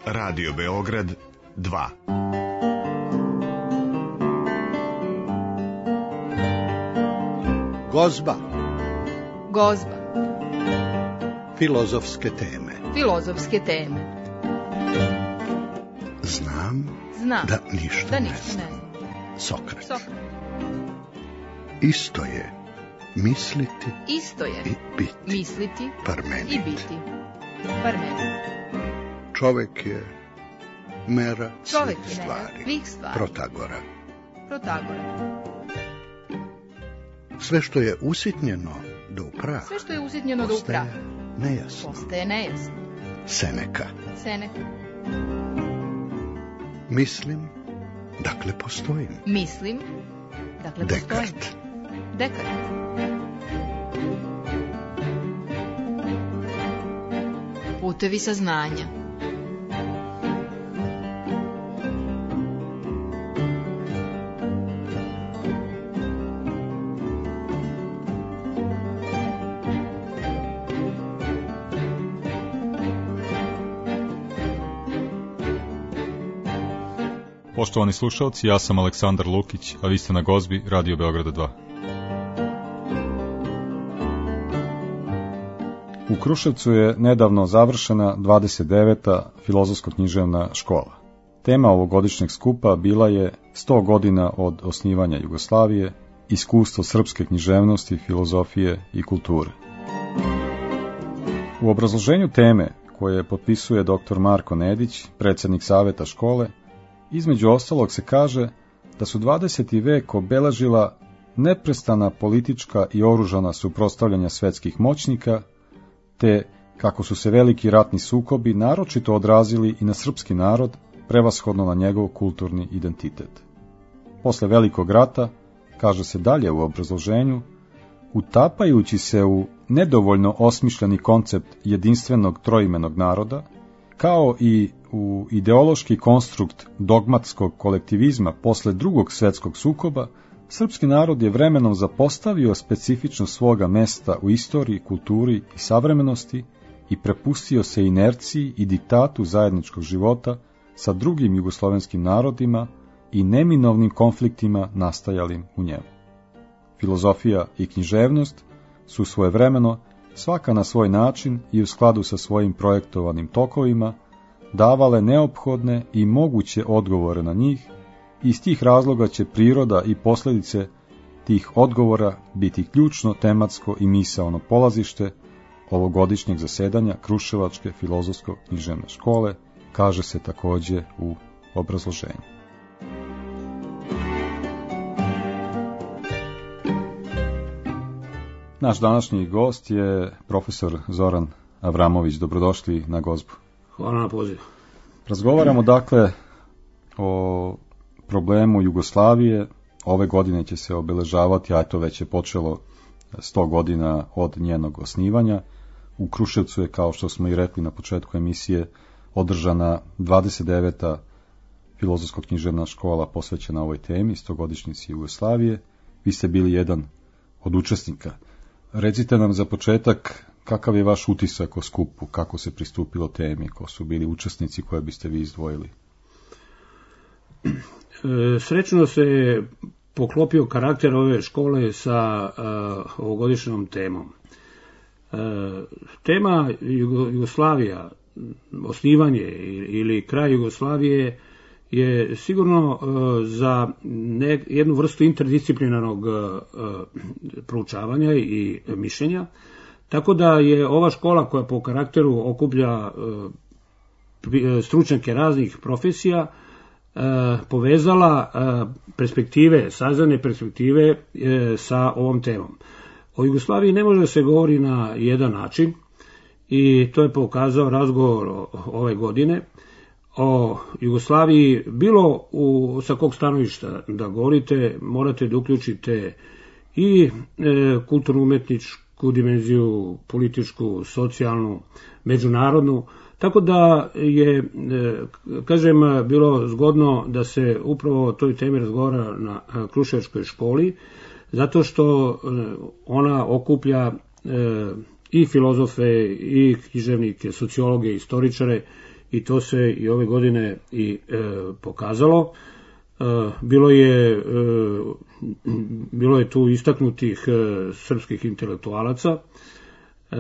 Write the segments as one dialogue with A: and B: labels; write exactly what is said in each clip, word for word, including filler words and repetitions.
A: Radio Beograd dva.
B: Gozba.
C: Gozba.
B: Filozofske teme.
C: Filozofske teme.
B: Znam,
C: Znam
B: da ništa,
C: da
B: ne
C: ništa
B: znam.
C: ne znam.
B: Sokrat.
C: Sokrat.
B: Isto je misliti
C: Isto je
B: i biti.
C: misliti
B: Parmenid.
C: i biti. Parmenid.
B: Čovek je mera
C: Čovek
B: svih
C: je
B: stvari.
C: mera svih stvari.
B: Protagora.
C: Protagora.
B: Sve što je usitnjeno do upraha,
C: Sve što je usitnjeno do upraha
B: postaje nejasno.
C: postaje nejasno.
B: Seneka.
C: Seneka.
B: Mislim, dakle postojim.
C: Mislim, dakle postojim.
B: Dekart.
C: Dekart. Putevi saznanja.
D: Poštovani slušalci, ja sam Aleksandar Lukić, a vi ste na Gozbi Radio Beograda dva. U Kruševcu je nedavno završena dvadeset deveta filozofsko-književna škola. Tema ovogodišnjeg skupa bila je sto godina od osnivanja Jugoslavije, iskustvo srpske književnosti, filozofije i kulture. U obrazloženju teme, koje potpisuje doktor Marko Nedić, predsjednik saveta škole, između ostalog se kaže da su dvadeseti vek obeležila neprestana politička i oružana suprotstavljanja svetskih moćnika, te kako su se veliki ratni sukobi naročito odrazili i na srpski narod, prevashodno na njegov kulturni identitet. Posle velikog rata, kaže se dalje u obrazloženju, utapajući se u nedovoljno osmišljeni koncept jedinstvenog troimenog naroda, kao i u ideološki konstrukt dogmatskog kolektivizma posle drugog svetskog sukoba, srpski narod je vremenom zapostavio specifičnost svoga mesta u istoriji, kulturi i savremenosti i prepustio se inerciji i diktatu zajedničkog života sa drugim jugoslovenskim narodima i neminovnim konfliktima nastajalim u njemu. Filozofija i književnost su svojevremeno, svaka na svoj način i u skladu sa svojim projektovanim tokovima, davale neophodne i moguće odgovore na njih, i iz tih razloga će priroda i posljedice tih odgovora biti ključno tematsko i misaono polazište ovogodišnjeg zasedanja Kruševačke filozofsko-književne škole, kaže se također u obrazloženju. Naš današnji gost je profesor Zoran Avramović. Dobrodošli na Gozbu.
E: Hvala na pozivu.
D: Razgovaramo dakle o problemu Jugoslavije. Ove godine će se obeležavati, a eto već je počelo sto godina od njenog osnivanja. U Kruševcu je, kao što smo i rekli na početku emisije, održana dvadeset deveta filozofsko-književna škola posvećena ovoj temi, stogodišnjici Jugoslavije. Vi ste bili jedan od učesnika. Recite nam za početak kakav je vaš utisak o skupu, kako se pristupilo temi, ko su bili učesnici koje biste vi izdvojili?
E: E, srećno se poklopio karakter ove škole sa uh, ovogodišnjom temom. E, tema Jugo, Jugoslavija, osnivanje ili kraj Jugoslavije je sigurno uh, za ne, jednu vrstu interdisciplinarnog uh, proučavanja i mišljenja, tako da je ova škola koja po karakteru okuplja uh, stručnjake raznih profesija uh, povezala uh, perspektive, saznane perspektive uh, sa ovom temom. O Jugoslaviji ne može da se govori na jedan način i to je pokazao razgovor ove godine. O Jugoslaviji, bilo u, sa kog stanovišta da govorite, morate da uključite i e, kulturno-umetničku dimenziju, političku, socijalnu, međunarodnu, tako da je, e, kažem, bilo zgodno da se upravo o toj temi razgovara na Kruševačkoj školi, zato što e, ona okuplja e, i filozofe, i književnike, sociologe, istoričare, i to se i ove godine i e, pokazalo. E, bilo je e, bilo je tu istaknutih e, srpskih intelektualaca, e,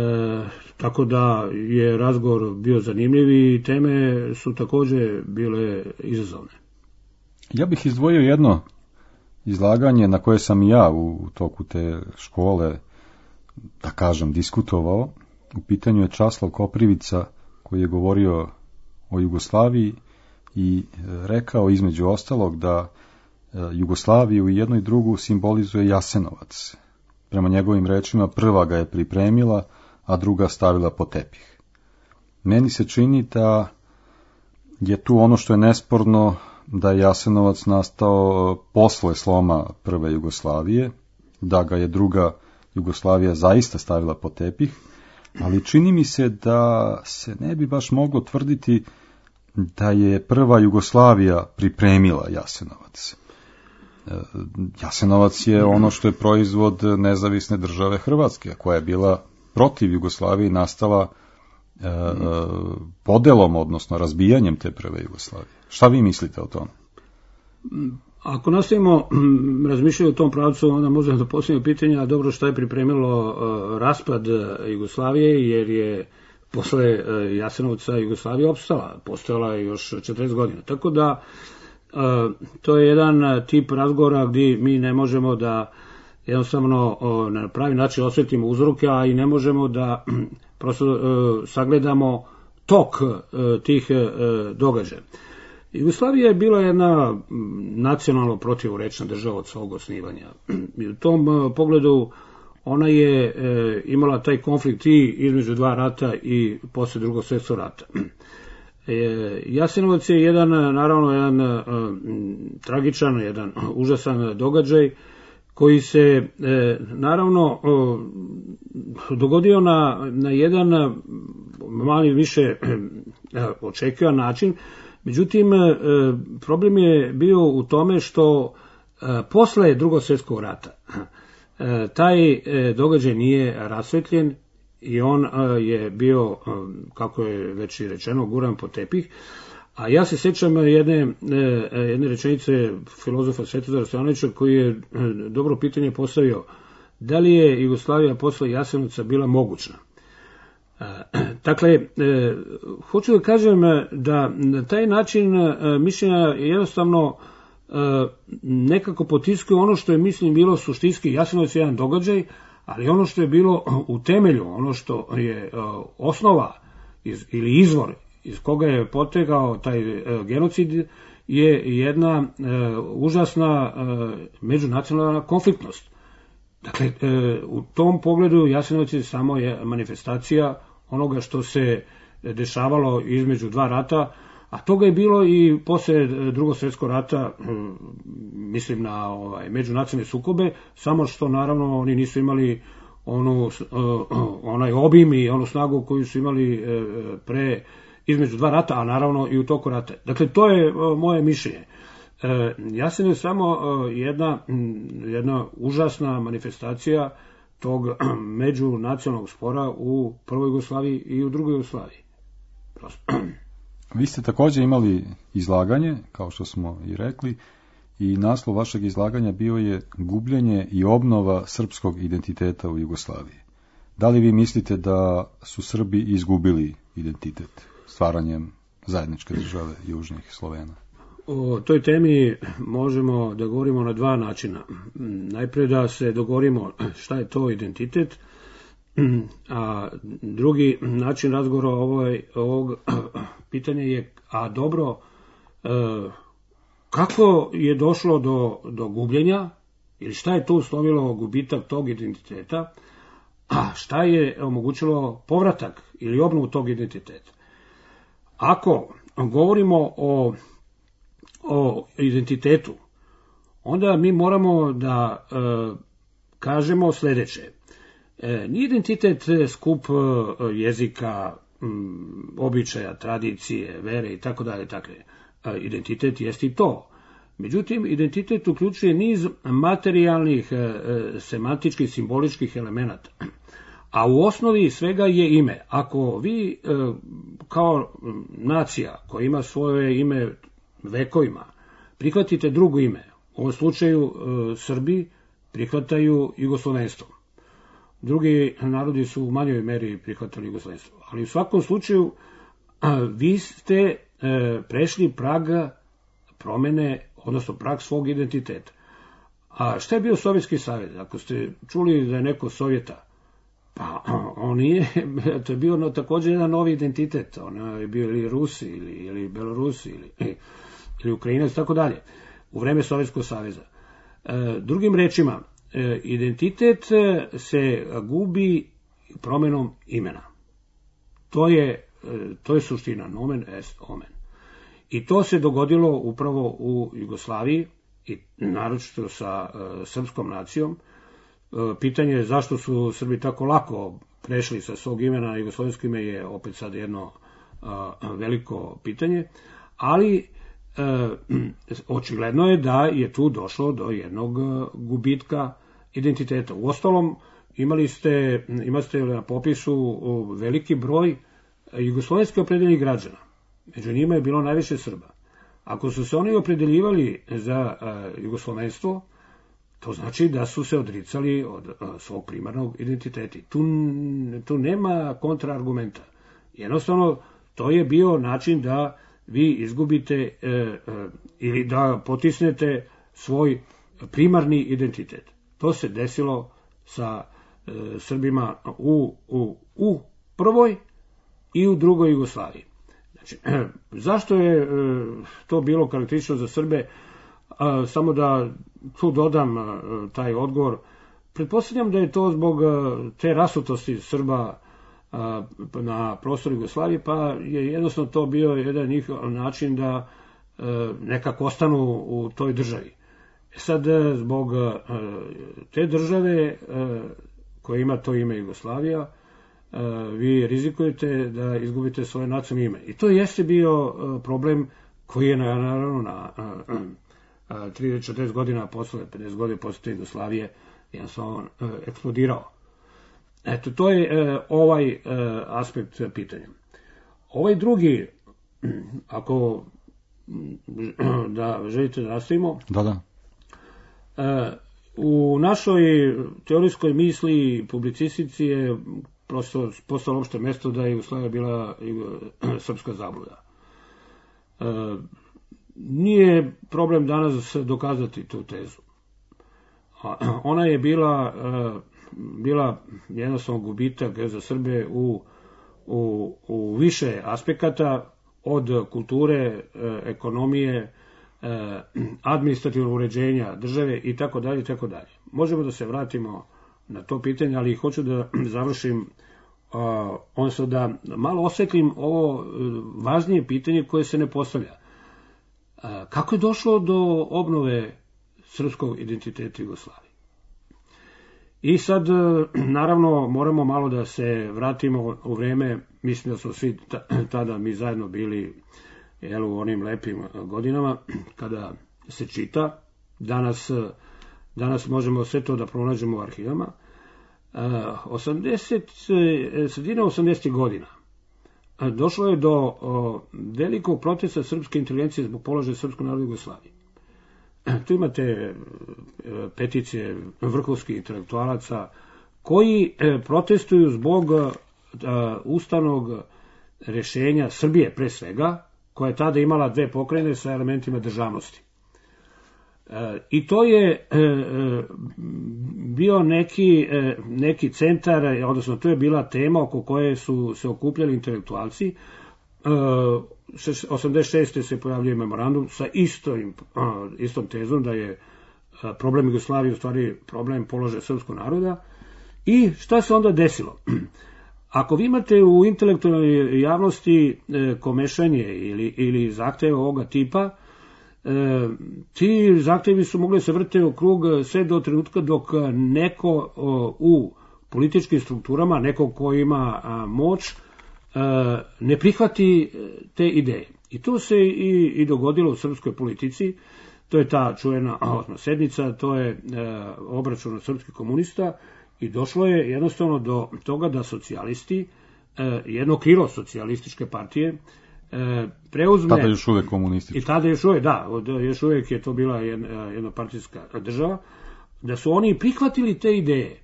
E: tako da je razgovor bio zanimljiv i teme su također bile izazovne.
D: Ja bih izdvojio jedno izlaganje na koje sam i ja u toku te škole, da kažem, diskutovao. U pitanju je Časlav Koprivica, koji je govorio o Jugoslaviji i rekao između ostalog da Jugoslaviju i jednu i drugu simbolizuje Jasenovac. Prema njegovim rečima, prva ga je pripremila, a druga stavila po tepih. Meni se čini da je tu ono što je nesporno, da je Jasenovac nastao posle sloma prve Jugoslavije, da ga je druga Jugoslavija zaista stavila po tepih, ali čini mi se da se ne bi baš moglo tvrditi da je prva Jugoslavija pripremila Jasenovac. Jasenovac je ono što je proizvod nezavisne države Hrvatske, koja je bila protiv Jugoslavije i nastala e, podelom, odnosno razbijanjem te prve Jugoslavije. Šta vi mislite o tom?
E: Ako nastavimo razmišljati o tom pravcu, onda možemo da postavimo pitanje, a dobro, šta je pripremilo uh, raspad Jugoslavije, jer je posle uh, Jasenovca Jugoslavija opstala, postojala je još četrdeset godina. Tako da uh, to je jedan tip razgovora gdje mi ne možemo da jednostavno uh, na pravi način osjetimo uzroke, a i ne možemo da prosto uh, sagledamo tok uh, tih uh, događaja. Jugoslavija je bila jedna nacionalno protivrečna država od svog osnivanja. I u tom pogledu ona je e, imala taj konflikt i između dva rata i posle drugog svjetskog rata. E, Jasenovac je jedan, naravno, jedan e, tragičan, jedan užasan događaj koji se e, naravno e, dogodio na, na jedan mali više e, očekivan način. Međutim, problem je bio u tome što posle drugog svjetskog rata taj događaj nije rasvetljen i on je bio, kako je već i rečeno, guran po tepih. A ja se sjećam jedne, jedne rečenice filozofa Svetozara Stojanovića koji je dobro pitanje postavio: da li je Jugoslavija posle Jasenovca bila mogućna? Dakle, hoću da kažem da na taj način mišljenja jednostavno nekako potiskuju ono što je, mislim, bilo suštinski. Jasenovac je jedan događaj, ali ono što je bilo u temelju, ono što je osnova iz, ili izvor iz koga je potegao taj genocid, je jedna užasna međunacionalna konfliktnost. Dakle, u tom pogledu Jasenovac je samo je manifestacija onoga što se dešavalo između dva rata, a toga je bilo i posle drugog svjetskog rata, mislim na ovaj, međunacionalne sukobe, samo što naravno oni nisu imali onu, onaj obim i onu snagu koju su imali pre između dva rata, a naravno i u toku rata. Dakle, to je moje mišljenje. Jasenovac je samo jedna, jedna užasna manifestacija tog međunacionalnog spora u prvoj Jugoslaviji i u drugoj Jugoslaviji. Prosto.
D: Vi ste također imali izlaganje, kao što smo i rekli, i naslov vašeg izlaganja bio je gubljenje i obnova srpskog identiteta u Jugoslaviji. Da li vi mislite da su Srbi izgubili identitet stvaranjem zajedničke države južnih Slovena?
E: O toj temi možemo da govorimo na dva načina. Najprije da se dogovorimo šta je to identitet, a drugi način razgovora ovoj, ovog pitanja je, a dobro, kako je došlo do, do gubljenja, ili šta je to uslovilo gubitak tog identiteta, a šta je omogućilo povratak ili obnovu tog identiteta. Ako govorimo o o identitetu, onda mi moramo da e, kažemo sljedeće. E, nije identitet skup e, jezika, m, običaja, tradicije, vere i tako dalje. Dakle, e, identitet jest i to. Međutim, identitet uključuje niz materijalnih, e, semantičkih, simboličkih elemenata. A u osnovi svega je ime. Ako vi kao nacija koja ima svoje ime vekovima prihvatite drugo ime, u ovom slučaju Srbi prihvataju jugoslovenstvo. Drugi narodi su u manjoj meri prihvatali jugoslovenstvo. Ali u svakom slučaju vi ste prešli prag promene, odnosno prag svog identiteta. A šta je bio Sovjetski savez? Ako ste čuli da je neko Sovjeta, pa on nije, to je bio no, također jedan novi identitet. On je bio ili Rusi, ili, ili Belorusi, ili, ili Ukrajinac, tako dalje, u vreme Sovjetskog saveza. E, drugim rečima, e, identitet se gubi promenom imena. To je, e, to je suština, nomen est omen. I to se dogodilo upravo u Jugoslaviji, i naročito sa e, srpskom nacijom. E, pitanje je zašto su Srbi tako lako prešli sa svog imena na jugoslovensko ime je opet sad jedno a, veliko pitanje, ali e, očigledno je da je tu došlo do jednog gubitka identiteta. Uostalom, imali ste, imali ste na popisu veliki broj jugoslovenski opredeljenih građana. Među njima je bilo najviše Srba. Ako su se oni opredeljivali za uh, jugoslovenstvo, to znači da su se odricali od uh, svog primarnog identiteta. Tu, tu nema kontraargumenta. Jednostavno, to je bio način da vi izgubite uh, uh, ili da potisnete svoj primarni identitet. To se desilo sa uh, Srbima u, u, u prvoj i u drugoj Jugoslaviji. Znači, zašto je to bilo karakteristično za Srbe? Samo da tu dodam taj odgovor. Pretpostavljam da je to zbog te rasutosti Srba na prostoru Jugoslavije, pa je jednostavno to bio jedan njihov način da nekako ostanu u toj državi. Sad, zbog te države koja ima to ime Jugoslavija, vi rizikujete da izgubite svoje nacionalno ime. I to jeste bio problem koji je naravno na trideset četrdeset godina posle, pedeset godina posle Jugoslavije jednostavno eksplodirao. Eto, to je ovaj aspekt pitanja. Ovaj drugi, ako da želite da nastavimo,
D: da, da.
E: U našoj teorijskoj misli i publicistici je prosto postalo opšte mesto da je Jugoslavija bila srpska zabluda. E, nije problem danas dokazati tu tezu. A, ona je bila, e, bila jednostavno gubitak za Srbe u, u, u više aspekata, od kulture, e, ekonomije, e, administrativnog uređenja države i tako dalje i tako dalje. Možemo da se vratimo na to pitanje, ali hoću da završim, uh, odnosno da malo osvetlim ovo važnije pitanje koje se ne postavlja. Uh, kako je došlo do obnove srpskog identiteta Jugoslavije? I sad, uh, naravno, moramo malo da se vratimo u vreme, mislim da smo svi tada mi zajedno bili jel, u onim lepim godinama, kada se čita. Danas Danas možemo sve to da pronađemo u arhivama. osamdeset, sredina osamdesetih godina došlo je do velikog protesta srpske inteligencije zbog položaja srpskog naroda u Jugoslaviji. Tu imate peticije vrhovskih intelektualaca koji protestuju zbog ustavnog rešenja Srbije pre svega, koja je tada imala dve pokrajine sa elementima državnosti. I to je bio neki, neki centar, odnosno to je bila tema oko koje su se okupljali intelektualci. osamdeset šeste se pojavljuje memorandum sa istom, istom tezom da je problem Jugoslavije u stvari problem položaja srpskog naroda. I šta se onda desilo? Ako vi imate u intelektualnoj javnosti komešanje ili, ili zahteve ovoga tipa, E, ti zahtevi su mogli se vrte u krug sve do trenutka dok neko o, u političkim strukturama, neko ko ima a, moć, a, ne prihvati te ideje. I to se i, i dogodilo u srpskoj politici. To je ta čuvena osma sednica, to je a, obračun od srpskih komunista I došlo je jednostavno do toga da socijalisti, jedno krilo socijalističke partije, preuzme...
D: Tada još uvijek komunistički.
E: I tada još uvijek, da, još uvijek je to bila jednopartijska država, da su oni prihvatili te ideje.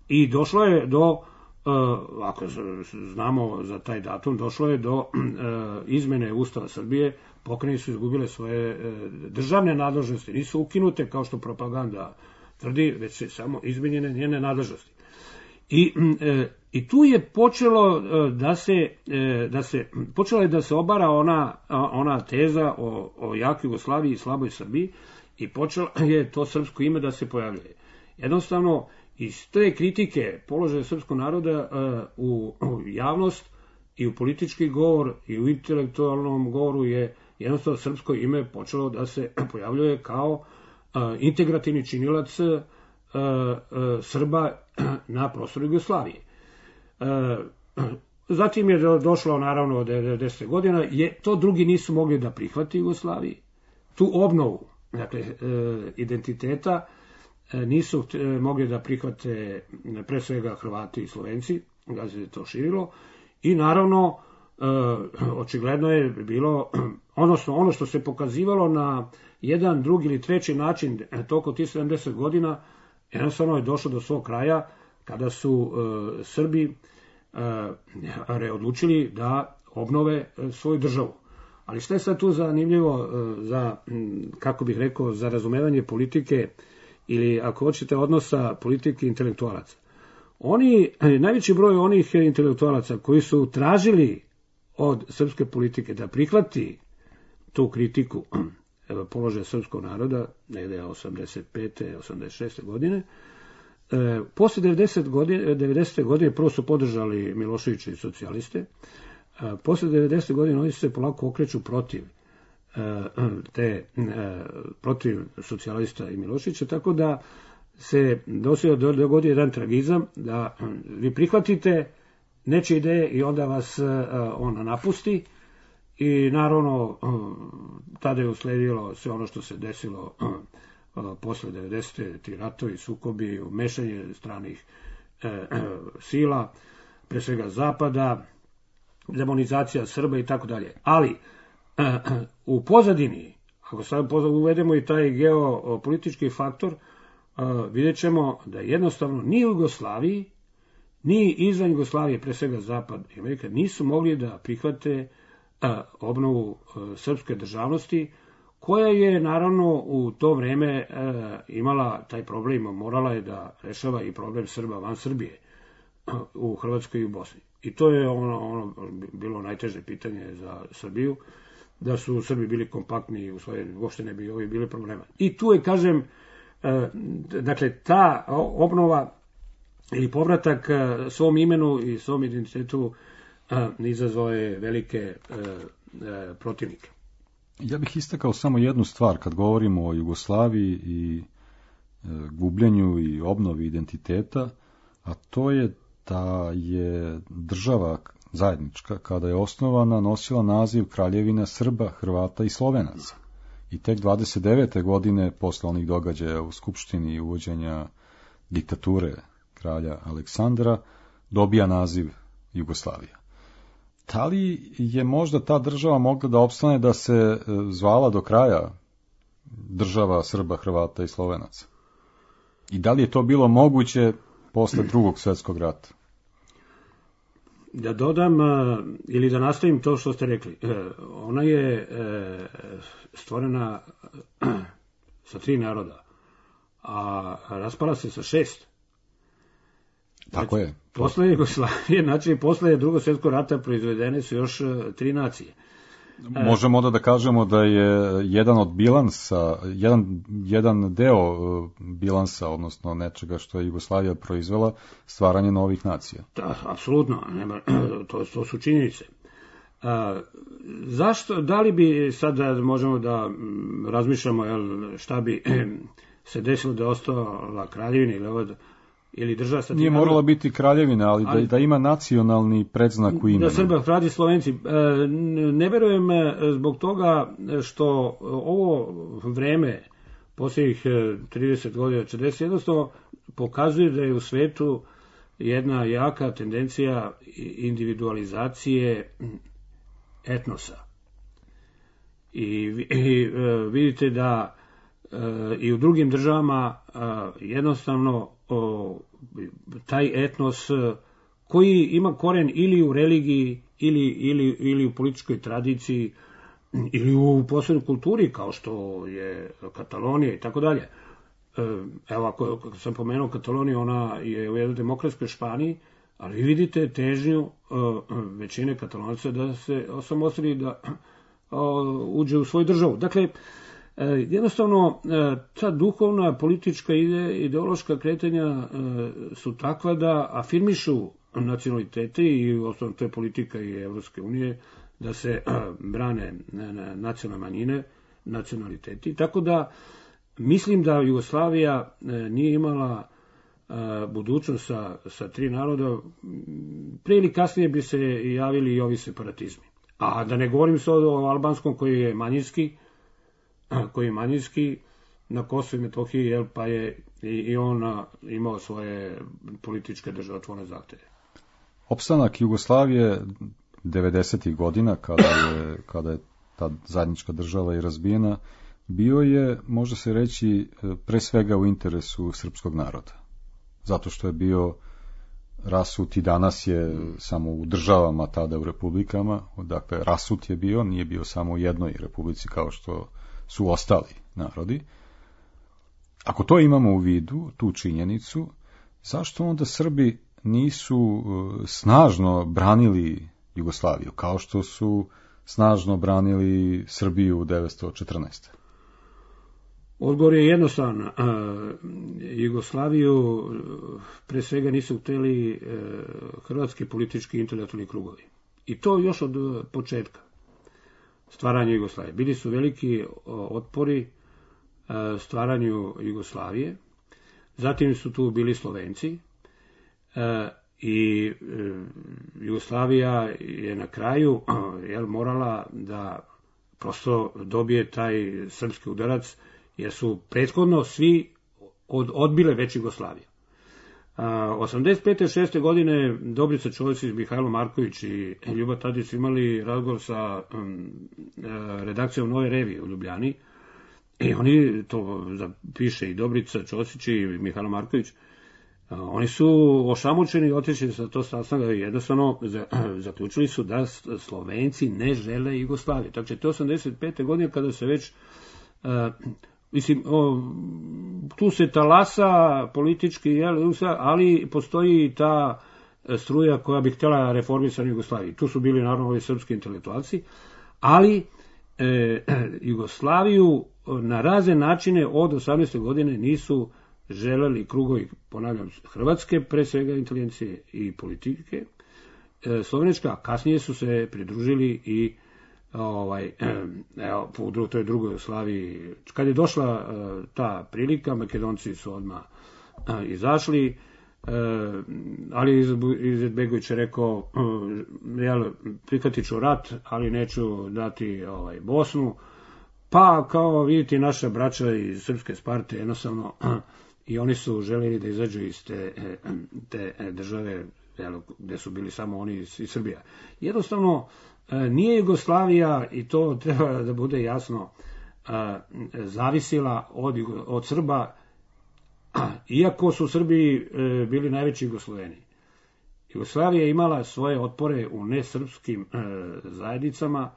E: I došlo je do, ako znamo za taj datum, došlo je do izmene Ustava Srbije, pokrajine su izgubile svoje državne nadležnosti, nisu ukinute kao što propaganda tvrdi, već se samo izmenjene njene nadležnosti. I, i tu je počelo da se, da se, počela je da se obara ona, ona teza o, o jakoj Jugoslaviji i slaboj Srbiji i počelo je to srpsko ime da se pojavljuje. Jednostavno, iz te kritike položaja srpskog naroda u, u javnost i u politički govor i u intelektualnom govoru je jednostavno srpsko ime počelo da se pojavljuje kao integrativni činilac Srba na prostoru Jugoslavije. Zatim je došlo naravno od devedesete godina, je, to drugi nisu mogli da prihvati Jugoslaviji. Tu obnovu, dakle, identiteta nisu mogli da prihvate pre svega Hrvati i Slovenci, da se to širilo, i naravno očigledno je bilo, odnosno ono što se pokazivalo na jedan, drugi ili treći način toliko tih sedamdeset godina, jednostavno je došlo do svog kraja kada su uh, Srbi uh, odlučili da obnove uh, svoju državu. Ali šta je sad tu zanimljivo uh, za, um, kako bih rekao, za razumevanje politike ili ako hoćete odnosa politike i intelektualaca? Oni, najveći broj onih intelektualaca koji su tražili od srpske politike da prihvati tu kritiku položaja srpskog naroda, negde osamdeset pete osamdeset šeste godine, e, posle devedesete godine, devedesete godine prvo su podržali Miloševića i socijaliste, a posle devedesete godine oni se polako okreću protiv e, te, e, protiv socijalista i Miloševića, tako da se dosio dogodi jedan tragizam da vi prihvatite nečije ideje i onda vas on napusti i naravno tada je usledilo sve ono što se desilo posle devedesete ti ratovi, sukobi, umešanje stranih sila, pre svega Zapada, demonizacija Srba i tako dalje. Ali u pozadini, ako sad uvedemo i taj geopolitički faktor, vidjet ćemo da jednostavno ni u Jugoslaviji, ni izvan Jugoslavije, pre svega Zapad i Amerika, nisu mogli da prihvate obnovu srpske državnosti, koja je naravno u to vreme imala taj problem, morala je da rešava i problem Srba van Srbije u Hrvatskoj i u Bosni. I to je ono, ono bilo najteže pitanje za Srbiju, da su Srbi bili kompaktni i usvojeni, uopšte ne bi ovi bili problema. I tu je, kažem, dakle, ta obnova ili povratak svom imenu i svom identitetu izazvao je velike protivnike.
D: Ja bih istakao samo jednu stvar kad govorimo o Jugoslaviji i gubljenju i obnovi identiteta, a to je da je država zajednička, kada je osnovana, nosila naziv Kraljevina Srba, Hrvata i Slovenaca. I tek dvadeset devete godine, posle onih događaja u Skupštini i uvođenja diktature kralja Aleksandra, dobija naziv Jugoslavija. Da li je možda ta država mogla da opstane da se zvala do kraja država Srba, Hrvata i Slovenaca? I da li je to bilo moguće posle drugog svjetskog rata?
E: Da dodam ili da nastavim to što ste rekli. Ona je stvorena sa tri naroda, a raspala se sa šest.
D: Tako je.
E: Posle Jugoslavije, znači posle drugog svjetskog rata proizvedene su još tri nacije.
D: Možemo onda da kažemo da je jedan od bilansa, jedan, jedan deo bilansa, odnosno nečega što je Jugoslavija proizvela, stvaranje novih nacija.
E: Da, apsolutno, nema, to, to su činjenice. A, zašto, da li bi sad možemo da razmišljamo jel, šta bi se desilo da je ostala kraljevina ili ovo, ili država sa...
D: Nije morala biti kraljevina, ali, ali da, da ima nacionalni predznak u imenu.
E: Da Srba, Hrvati, Slovenci. Ne verujem zbog toga što ovo vreme, posljednjih trideset godina, četrdeset, jednostavno pokazuje da je u svetu jedna jaka tendencija individualizacije etnosa. I, i vidite da i u drugim državama jednostavno taj etnos koji ima koren ili u religiji ili, ili, ili u političkoj tradiciji ili u posebnoj kulturi kao što je Katalonija i tako dalje. Evo, ako sam pomenuo Kataloniju, ona je u jednoj demokratskoj Španiji, ali vi vidite težnju većine Katalonaca da se osamostali, da uđe u svoju državu. Dakle, jednostavno, ta duhovna, politička ide, ideološka kretanja su takva da afirmišu nacionalitete i osnovno to je politika i Evropske unije, da se brane nacionalne manjine, nacionaliteti. Tako da mislim da Jugoslavija nije imala budućnost sa, sa tri naroda, pre ili kasnije bi se javili i ovi separatizmi. A da ne govorim sad o albanskom koji je manjinski, koji je manjinski na Kosovu i Metohiji, jel, pa je i, i on imao svoje političke državotvorne zahteve.
D: Opstanak Jugoslavije devedesetih godina, kada je, kada je ta zajednička država i razbijena, bio je, može se reći, pre svega u interesu srpskog naroda. Zato što je bio rasut i danas je samo u državama, tada u republikama, dakle rasut je bio, nije bio samo u jednoj republici kao što su ostali narodi. Ako to imamo u vidu, tu činjenicu, zašto onda Srbi nisu snažno branili Jugoslaviju, kao što su snažno branili Srbiju u devetsto četrnaeste.
E: Odgovor je jednostavan. Jugoslaviju pre svega nisu hteli hrvatski politički intelektualni krugovi. I to još od početka stvaranja Jugoslavije. Bili su veliki otpori stvaranju Jugoslavije. Zatim su tu bili Slovenci. I Jugoslavija je na kraju jel, morala da prosto dobije taj srpski udarac, jer su prethodno svi od, odbile već Jugoslaviju. osamdeset pete šeste godine Dobrica Ćosić, Mihajlo Marković i Ljuba Tadić imali razgovor sa um, redakcijom Nove revije u Ljubljani i oni, to piše i Dobrica Ćosić i Mihajlo Marković, oni su ošamučeni i otišli sa to sastanka i jednostavno zaključili su da Slovenci ne žele Jugoslaviju. Tako će to osamdeset pete godine kada se već uh, mislim, o, tu se talasa politički, jel, ali postoji i ta struja koja bi htjela reformisati Jugoslaviju. Tu su bili naravno ovi srpski intelektualci, ali e, Jugoslaviju na razne načine od osamnaeste godine nisu želeli krugovi, ponavljam, Hrvatske, pre svega inteligencije i politike, e, Slovenečka, a kasnije su se pridružili i ovaj, evo, u toj drugoj Jugoslaviji. Kad je došla uh, ta prilika, Makedonci su odmah uh, izašli, uh, ali Izetbegović je rekao, uh, jel, prihvatit ću rat, ali neću dati ovaj, Bosnu. Pa, kao vidite, naša braća iz Srpske Sparte, jednostavno, uh, i oni su željeli da izađu iz te, te države, jel, gde su bili samo oni iz, iz Srbija. Jednostavno, nije Jugoslavija, i to treba da bude jasno, zavisila od, od Srba, iako su Srbi bili najveći Jugosloveni. Jugoslavija je imala svoje otpore u nesrpskim zajednicama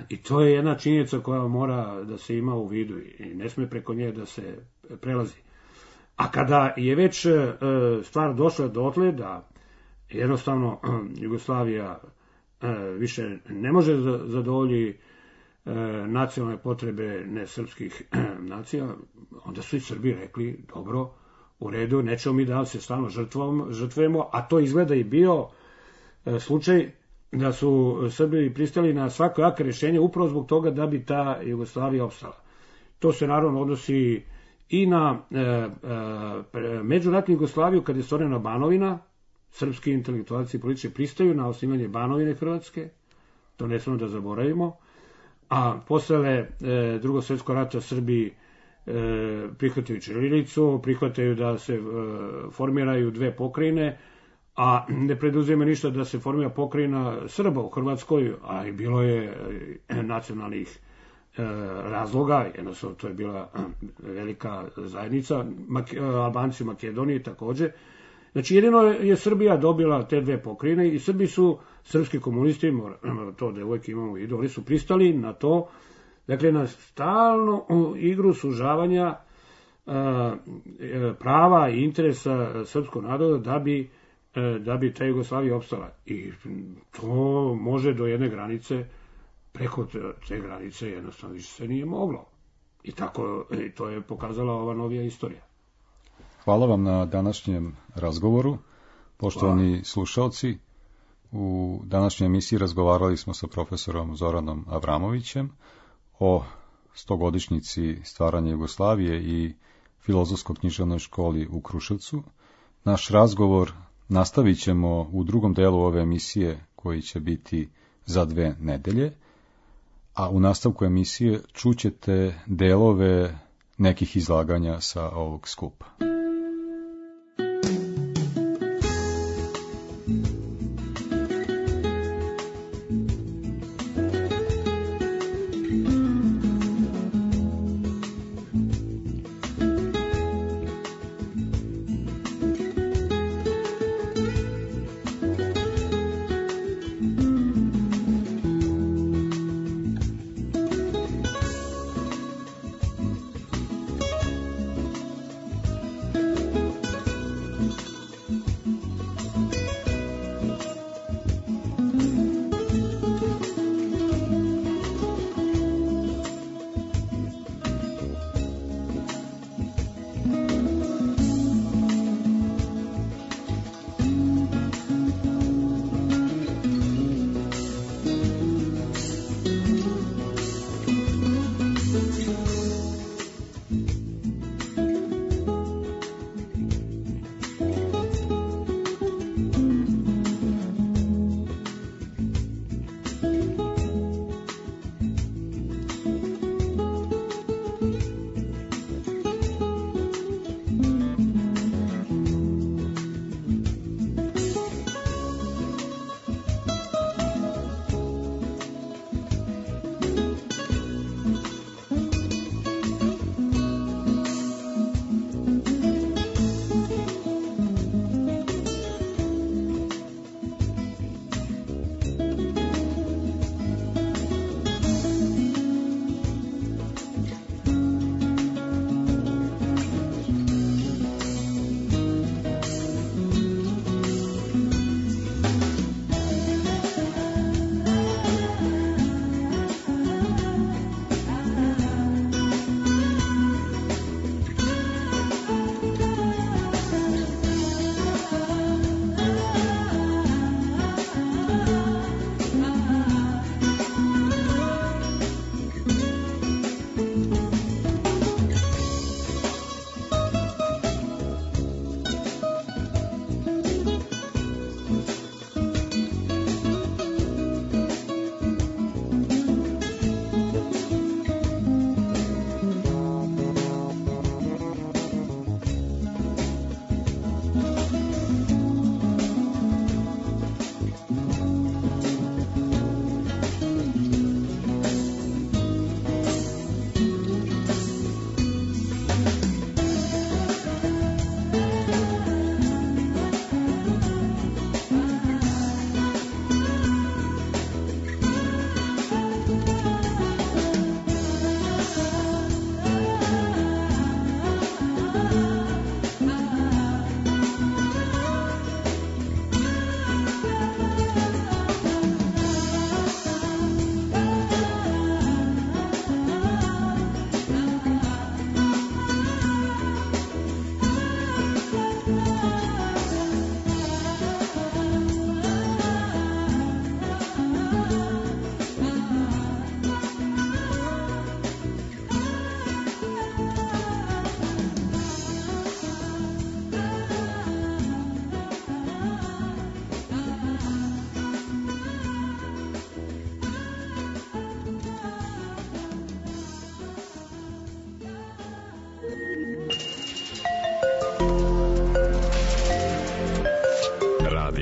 E: i to je jedna činjenica koja mora da se ima u vidu i ne sme preko nje da se prelazi. A kada je već stvar došla dotle da jednostavno Jugoslavija više ne može zadovolji nacionalne potrebe nesrpskih nacija, onda su i Srbi rekli, dobro, u redu, nećemo mi da se stalno žrtvujemo, a to izgleda i bio slučaj da su Srbi pristali na svako jake rješenje upravo zbog toga da bi ta Jugoslavija opstala. To se naravno odnosi i na e, e, međuratnu Jugoslaviju kada je stvorena Banovina. Srpski intelektualci i političari pristaju na osnivanje Banovine Hrvatske, to ne smemo da zaboravimo, a posle e, drugog svjetskog rata Srbi prihvataju ćirilicu, prihvataju da se formiraju dve pokrajine, a ne preduzima ništa da se formira pokrajina Srba u Hrvatskoj, a i bilo je nacionalnih razloga, jednostavno to je bila velika zajednica, Albanci u Makedoniji takođe. Znači jedino je Srbija dobila te dve pokrajine i Srbi su, srpski komunisti, to da uvijek imamo u vidu, oni su pristali na to, dakle na stalnu igru sužavanja prava i interesa srpskog naroda da bi da bi ta Jugoslavija opstala. I to može do jedne granice, preko te granice jednostavno više se nije moglo. I tako, i to je pokazala ova novija istorija.
D: Hvala vam na današnjem razgovoru. Poštovani Hvala. Slušalci, u današnjoj emisiji razgovarali smo sa profesorom Zoranom Avramovićem o stogodišnjici stvaranja Jugoslavije i Filozofsko-književnoj školi u Kruševcu. Naš razgovor nastavit ćemo u drugom delu ove emisije koji će biti za dve nedelje, a u nastavku emisije čućete delove nekih izlaganja sa ovog skupa.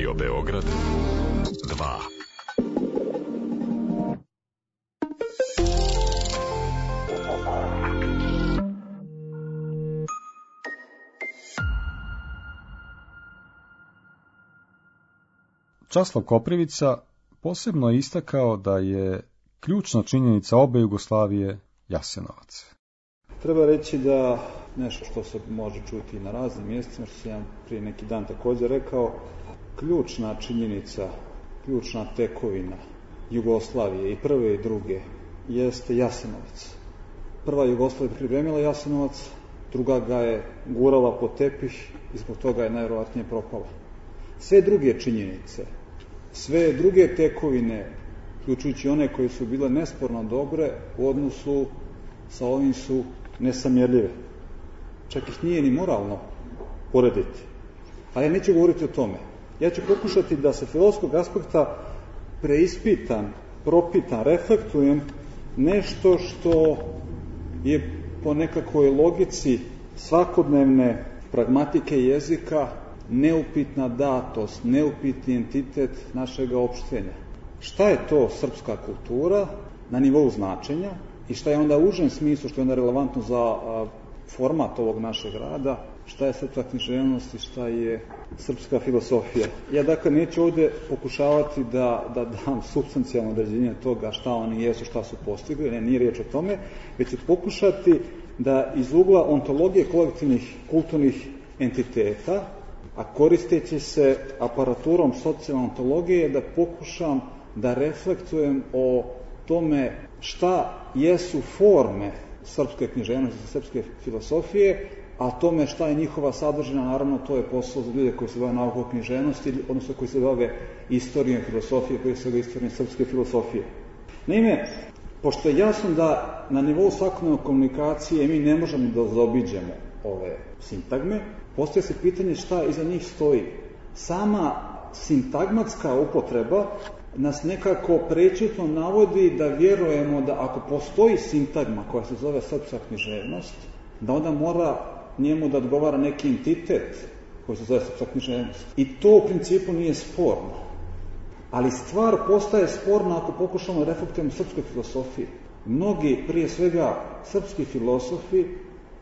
A: Radio Beograd dva.
D: Časlav Koprivica posebno je istakao da je ključna činjenica obe Jugoslavije Jasenovac.
F: Treba reći da nešto što se može čuti i na raznim mjestima, što sam ja prije neki dan također rekao, ključna činjenica, ključna tekovina Jugoslavije i prve i druge jeste Jasenovac. Prva Jugoslavija pripremila Jasenovac, druga ga je gurala po tepih i zbog toga je najvjerojatnije propala. Sve druge činjenice, sve druge tekovine, uključujući one koje su bile nesporno dobre, u odnosu sa ovim su nesamjerljive. Čak ih nije ni moralno porediti. Ali ja neću govoriti o tome. Ja ću pokušati da se filozofskog aspekta preispitam, propitam, reflektujem nešto što je po nekakvoj logici svakodnevne pragmatike jezika neupitna datost, neupitni entitet našeg opštenja. Šta je to srpska kultura na nivou značenja i šta je onda u užem smislu, što je onda relevantno za a, format ovog našeg rada, šta je srpska književnost i šta je srpska filosofija. Ja dakle neću ovdje pokušavati da, da dam supstancijalno određenje toga šta oni jesu, šta su postigli, ne, nije riječ o tome, već ću pokušati da iz ugla ontologije kolektivnih kulturnih entiteta, a koristeći se aparaturom socijalne ontologije, da pokušam da reflektujem o tome šta jesu forme srpske književnosti, srpske filosofije, a tome šta je njihova sadržina, naravno to je posao za ljude koji se bave naukom o književnosti, odnosno koji se bave istorijom filosofije, koji se bave istorijom srpske filosofije. Naime, pošto je jasno da na nivou svakodnevne komunikacije mi ne možemo da zaobiđemo ove sintagme, postoje se pitanje šta iza njih stoji. Sama sintagmatska upotreba nas nekako prečutno navodi da vjerujemo da ako postoji sintagma koja se zove srpska književnost, da onda mora njemu da odgovara neki entitet koji se zove srpska književnost. I to u principu nije sporno. Ali stvar postaje sporna ako pokušamo da reflektujemo srpske filosofije. Mnogi, prije svega srpski filosofi,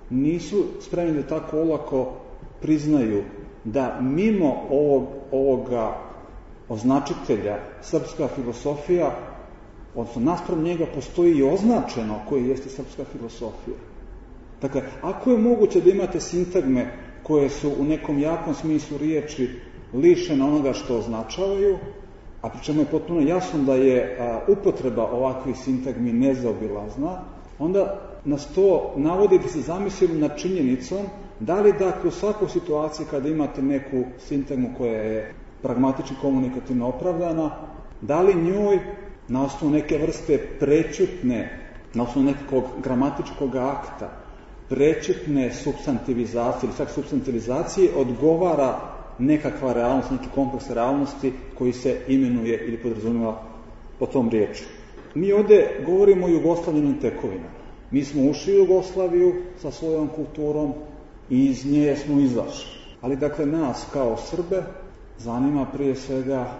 F: nisu spremni da tako olako priznaju da mimo ovog, ovoga označitelja srpska filosofija, odnosno naspram njega postoji i označeno koji jeste srpska filosofija. Dakle, ako je moguće da imate sintagme koje su u nekom jakom smislu riječi lišene onoga što označavaju, a pri čemu je potpuno jasno da je a, upotreba ovakvih sintagmi nezaobilazna, onda nas to navodi da se zamislimo nad činjenicom da li dakle u svakoj situaciji kada imate neku sintagmu koja je pragmatički komunikativno opravdana, da li njoj na osnovu neke vrste prečutne, na osnovu nekog gramatičkog akta, prečutne supstantivizacije ili čak supstantivizacije odgovara nekakva realnost, neki kompleks realnosti koji se imenuje ili podrazumijeva po tom riječu. Mi ovdje govorimo o jugoslavljenim tekovinama. Mi smo ušli u Jugoslaviju sa svojom kulturom i iz nje smo izašli. Ali dakle nas kao Srbe zanima prije svega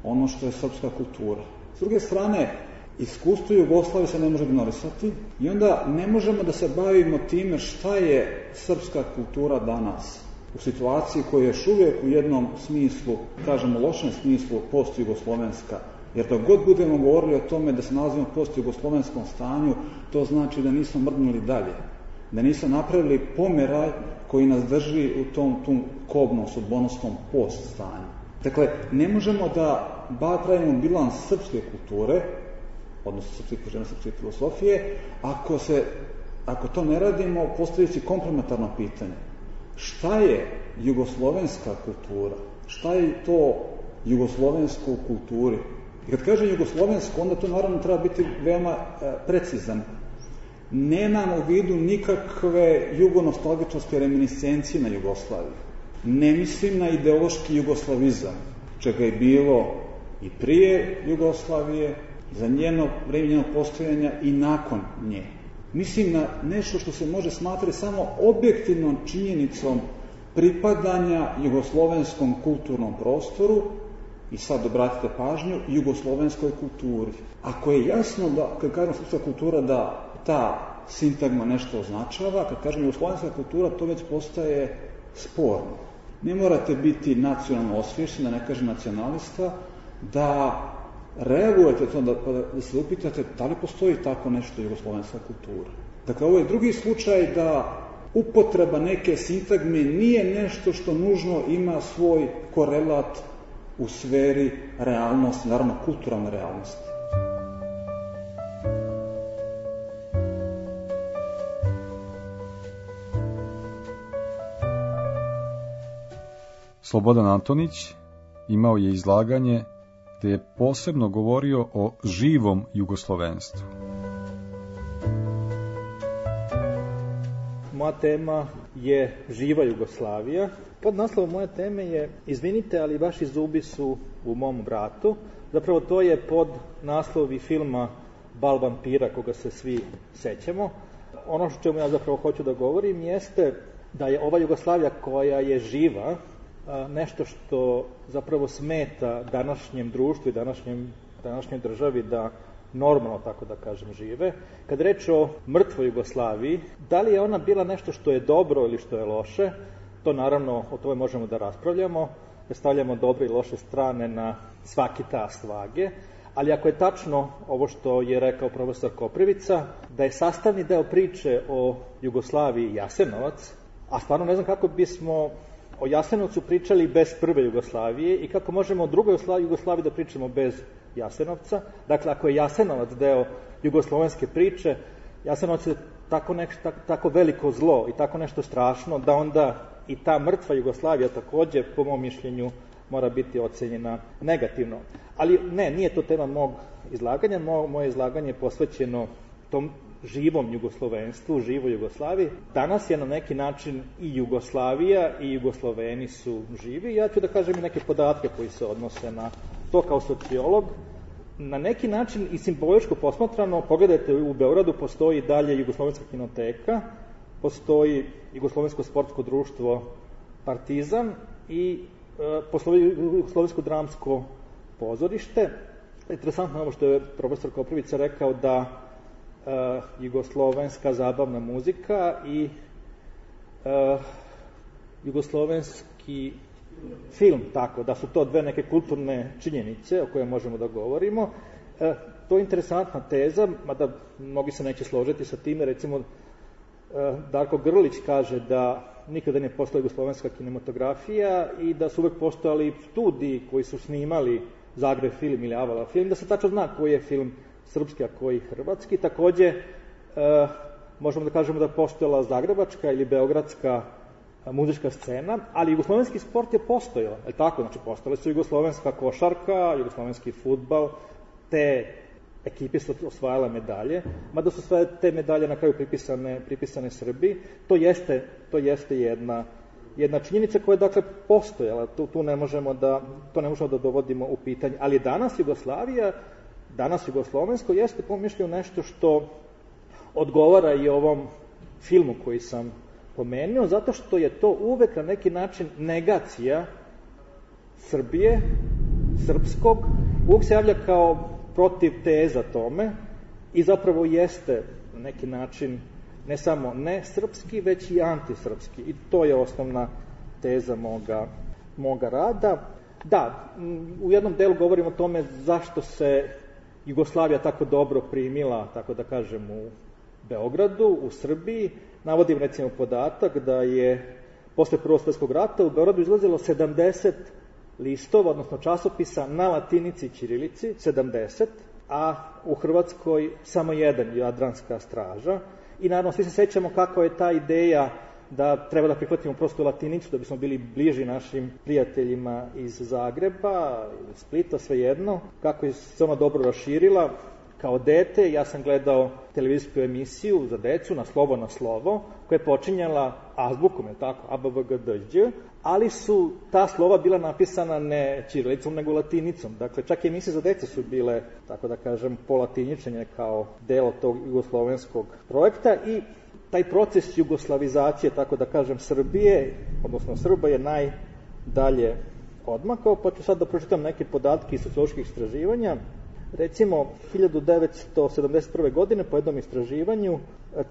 F: ono što je srpska kultura. S druge strane, iskustvo Jugoslavije se ne može ignorisati i onda ne možemo da se bavimo time šta je srpska kultura danas u situaciji koja je još uvijek u jednom smislu, kažemo lošem smislu, post-jugoslovenska. Jer dok god budemo govorili o tome da se nalazimo u post-jugoslovenskom stanju, to znači da nismo mrdnuli dalje, da nismo napravili pomeraj koji nas drži u tom, tom kobnom, sudbonosnom post stanju. Dakle, ne možemo da pravimo bilans srpske kulture, odnosno srpske književnosti, srpske filosofije, ako, se, ako to ne radimo, postavljajući komplementarno pitanje. Šta je jugoslovenska kultura? Šta je to jugoslovensko u kulturi? I kad kažem jugoslovensko, onda to naravno treba biti veoma e, precizan. Nemam u vidu nikakve jugonostalgičarske reminiscencije na Jugoslaviju. Ne mislim na ideološki jugoslavizam, čega je bilo i prije Jugoslavije, za njeno vreme njenog postojanja i nakon nje. Mislim na nešto što se može smatrati samo objektivnom činjenicom pripadanja jugoslovenskom kulturnom prostoru I sad obratite pažnju jugoslovenskoj kulturi. Ako je jasno da, kad kažem srpska kultura, da ta sintagma nešto označava, kad kažem jugoslovenska kultura, to već postaje sporno. Ne morate biti nacionalno osvješćen, da ne kažem nacionalista, da reagujete to, da, da se upitate da li postoji tako nešto jugoslovenska kultura. Dakle, ovo je drugi slučaj da upotreba neke sintagme nije nešto što nužno ima svoj korelat u sferi realnosti, naravno kulturalne realnosti.
D: Slobodan Antonić imao je izlaganje gde je posebno govorio o živom jugoslovenstvu.
G: Moja tema je živa Jugoslavija. Pod naslovom moje teme je izvinite, ali vaši zubi su u mom vratu. Zapravo to je pod naslovi filma Bal vampira, koga se svi sećamo. Ono što čemu ja zapravo hoću da govorim jeste da je ova Jugoslavija koja je živa nešto što zapravo smeta današnjem društvu i današnjem, današnjoj državi da normalno, tako da kažem, žive. Kad reč o mrtvoj Jugoslaviji, da li je ona bila nešto što je dobro ili što je loše, to naravno o tome možemo da raspravljamo, da stavljamo dobre i loše strane na svaki tas vage, ali ako je tačno ovo što je rekao profesor Koprivica, da je sastavni deo priče o Jugoslaviji Jasenovac, a stvarno ne znam kako bismo o Jasenovcu pričali bez prve Jugoslavije i kako možemo o drugoj Jugoslaviji da pričamo bez Jasenovca. Dakle, ako je Jasenovac deo jugoslovenske priče, Jasenovac je tako, nešto, tako, tako veliko zlo i tako nešto strašno da onda i ta mrtva Jugoslavija takođe, po mom mišljenju, mora biti ocenjena negativno. Ali ne, nije to tema mog izlaganja. Mo, moje izlaganje je posvećeno tom živom jugoslovenstvu, živoj Jugoslaviji. Danas je na neki način i Jugoslavija i Jugosloveni su živi. Ja ću da kažem i neke podatke koji se odnose na to kao sociolog. Na neki način i simboličko posmatrano, pogledajte, u Beogradu postoji dalje Jugoslovenska kinoteka, postoji Jugoslovensko sportsko društvo Partizan i e, postoji Jugoslovensko dramsko pozorište. Interesantno je ovo što je profesor Koprivica rekao da e, jugoslovenska zabavna muzika i e, jugoslovenski film, tako, da su to dve neke kulturne činjenice o koje možemo da govorimo. E, to je interesantna teza, mada mnogi se neće složiti sa time. Recimo, e, Darko Grlić kaže da nikada ne postoji jugoslovenska kinematografija i da su uvek postojali studiji koji su snimali Zagreb film ili Avala film, da se tačno zna koji je film srpski, a koji hrvatski. Takođe, e, možemo da kažemo da je postojala zagrebačka ili beogradska muzička scena, ali jugoslovenski sport je postojao, je li tako? Znači, postojale su jugoslovenska košarka, jugoslovenski fudbal, te ekipe su osvajale medalje, mada su sve te medalje na kraju pripisane, pripisane Srbiji. To jeste, to jeste jedna, jedna činjenica koja je, dakle, postojala. Tu, tu ne možemo da, to ne možemo da dovodimo u pitanje. Ali danas Jugoslavija, danas jugoslovensko jeste, po mišljenju, nešto što odgovara i ovom filmu koji sam pomenuo, zato što je to uvek na neki način negacija Srbije, srpskog, uvek se javlja kao protiv teza tome i zapravo jeste na neki način ne samo ne srpski, već i antisrpski. I to je osnovna teza moga, moga rada. Da, u jednom delu govorim o tome zašto se Jugoslavija tako dobro primila, tako da kažem, u Beogradu, u Srbiji. Navodim recimo podatak da je posle Prvog svjetskog rata u Beogradu izlazilo sedamdeset listova, odnosno časopisa na latinici i ćirilici, sedamdeset, a u Hrvatskoj samo jedan, Jadranska straža. I naravno svi se sećamo kako je ta ideja da treba da prihvatimo prosto latinicu da bismo bili bliži našim prijateljima iz Zagreba, iz Splita, svejedno, kako je se ona dobro raširila. Kao dete ja sam gledao televizijsku emisiju za decu na Slovo na slovo, koja je počinjala azbukom, je tako, a b v g d đ, ali su ta slova bila napisana ne ćirilicom, nego latinicom. Dakle, čak i emisije za decu su bile, tako da kažem, polatiničenje kao delo tog jugoslovenskog projekta i taj proces jugoslavizacije, tako da kažem, Srbije, odnosno Srba, je najdalje odmakao, pa ću sad da pročitam neke podatke iz socioloških istraživanja. Recimo, hiljadu devetsto sedamdeset prve. godine po jednom istraživanju